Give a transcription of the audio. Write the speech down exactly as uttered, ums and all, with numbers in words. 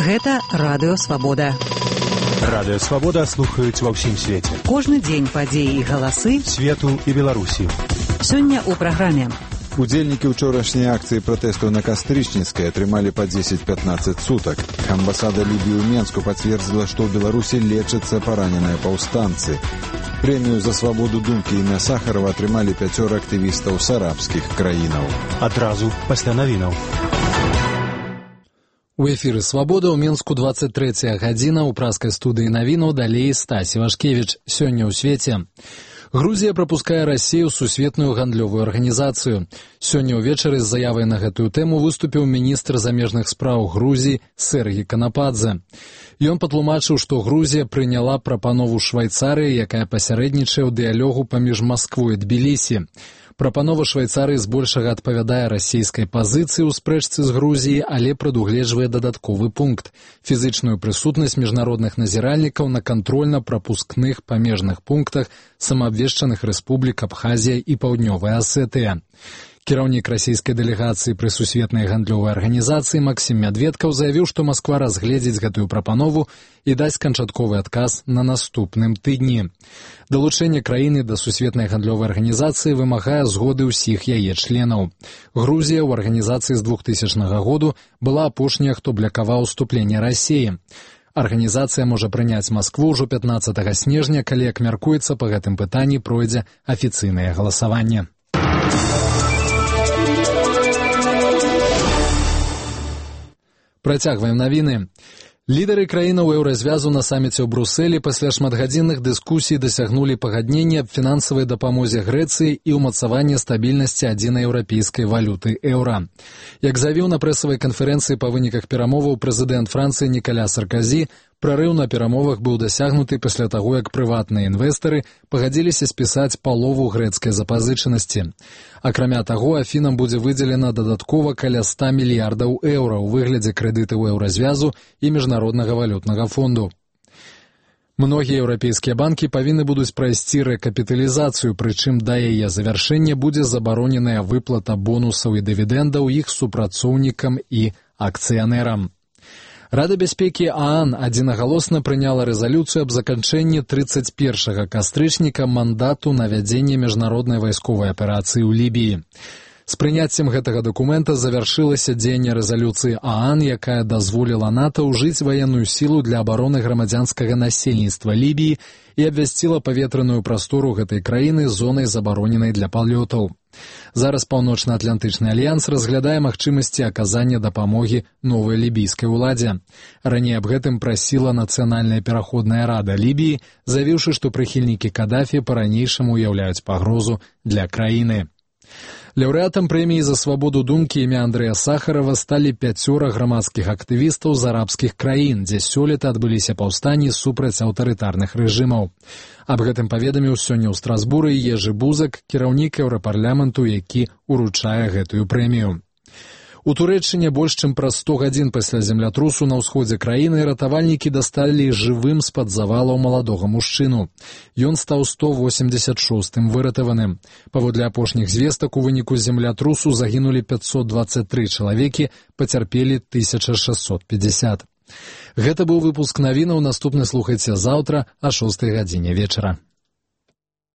Гэта Радыё Свабода. Радыё Свабода слухаюць ва ўсім свеце. Кожны дзень падзеі і галасы свету і Беларусі. Сёння ў праграме. Удзельнікі ўчорашняй акцыі пратэсту на Кастрычніцкай атрымалі па дзесяць-пятнаццаць сутак. Амбасада Лібіі ў Менску пацвердзіла, што ў Беларусі лечацца параненыя паўстанцы. Прэмію за свабоду думкі імя Сахарова атрымалі пяцёра актывістаў з арабскіх краінаў. Адразу пасля навінаў. У эфіры «Свабода» ў Менску дваццаць трэцяя гадзіна, у праскай студыі навінаў далей Стасі Вашкевіч. Сёння ў свеце. Грузія прапускае Расію ў сусветную гандлёвую арганізацыю. Сёння ўвечары з заявай на гэтую тэму выступіў міністр замежных спраў Грузіі Сэргі Канападзе. Ён патлумачыў, што Грузія прыняла прапанову Швайцарыі, якая пасярэднічае ў дыялогу паміж Масквой і Тбілісі. Прапанова Швайцарыі збольшага адпавядае расійскай пазіцыі ў спрэчцы з Грузіяй, але прадугледжвае дадатковы пункт – фізычную прысутнасць міжнародных назіральнікаў на кантрольна-прапускных памежных пунктах самаабвешчаных рэспублік Абхазія і Паўднёвая Асетыя. Кіраўнік расійскай дэлегацыі пры сусветнай гандлёвай арганізацыі Максім Мядведкаў заявіў, што Масква разгледзіць гэтую прапанову і дасць канчатковы адказ на наступным тыдні. Далучэнне краіны да сусветнай гандлёвай арганізацыі вымагае згоды ўсіх яе членаў. Грузія ў арганізацыі з двухтысячнага году была апошняя, хто блакаваў уступленне Расіі. Арганізацыя можа прыняць Маскву ўжо пятнаццатага снежня, калі, як мяркуецца, па гэтым пытанні пройдзе афіцыйнае галасаванне. Працягваем навіны. Лідары краінаў еўразвязу на саміце ў Брусэлі пасля шматгадзінных дыскусій дасягнулі пагаднення аб фінансавай дапамозе Грэцыі і ўмацаванні стабільнасці адзінай еўрапейскай валюты еўра. Як заявіў на прэсавай канферэнцыі па выніках перамоваў прэзідэнт Францыі Нікаля Сарказі, прарыў на перамовах быў дасягнуты пасля таго, як прыватныя інвестары пагадзіліся спісаць палову грэцкай запазычанасці. Акрамя таго, Афінам будзе выдзелена дадаткова каля ста мільярдаў еўра ў выглядзе крэдытаў еўразвязу і міжнароднага валютнага фонду. Многія еўрапейскія банкі павінны будуць прайсці рэкапіталізацыю, прычым да яе завяршэння будзе забароненая выплата бонусаў і дывідэндаў іх супрацоўнікам і акцыянерам. Рада бяспекі ААН адзінагалосна прыняла рэзалюцыю аб заканчэнні трыццаць першага кастрычніка мандату на вядзенне міжнароднай вайсковай аперацыі ў Лібіі. З прыняццем гэтага дакумента завяршылася дзеянне рэзалюцыі ААН, якая дазволіла НАТО ўжыць ваенную сілу для абароны грамадзянскага насельніцтва Лібіі і абвясціла паветраную прастору гэтай краіны зонай забароненай для палётаў. Зараз Паўночна-Атлантычны альянс разглядае магчымасці аказання дапамогі новай лібійскай уладзе. Раней аб гэтым прасіла Нацыянальная пераходная рада Лібіі, заявіўшы, што прыхільнікі Кадафі па-ранейшаму ўяўляюць пагрозу для краіны. Лаўрэатам прэміі за свабоду думкі імя Андрэя Сахарова сталі пяцёра грамадскіх актывістаў з арабскіх краін, дзе сёлета адбыліся паўстанні супраць аўтарытарных рэжымаў. Аб гэтым паведаміў сёння ў Страсбуры Ежы Бузак, кіраўнік еўрапарламенту, які ўручае гэтую прэмію. У Турэччыне больш чым праз сто гадзін пасля землятрусу на ўсходзе краіны ратавальнікі дасталі жывым з-пад завалаў маладога мужчыну. Ён стаў сто восемьдзесят шостым выратаваным. Паводле апошніх звестак, у выніку землятрусу загінулі пятьсот двадцать три чалавекі, пацярпелі тысяча шэсцьсот пятьдесят. Гэта быў выпуск навінаў, наступны слухайце заўтра а шостай гадзіне вечара.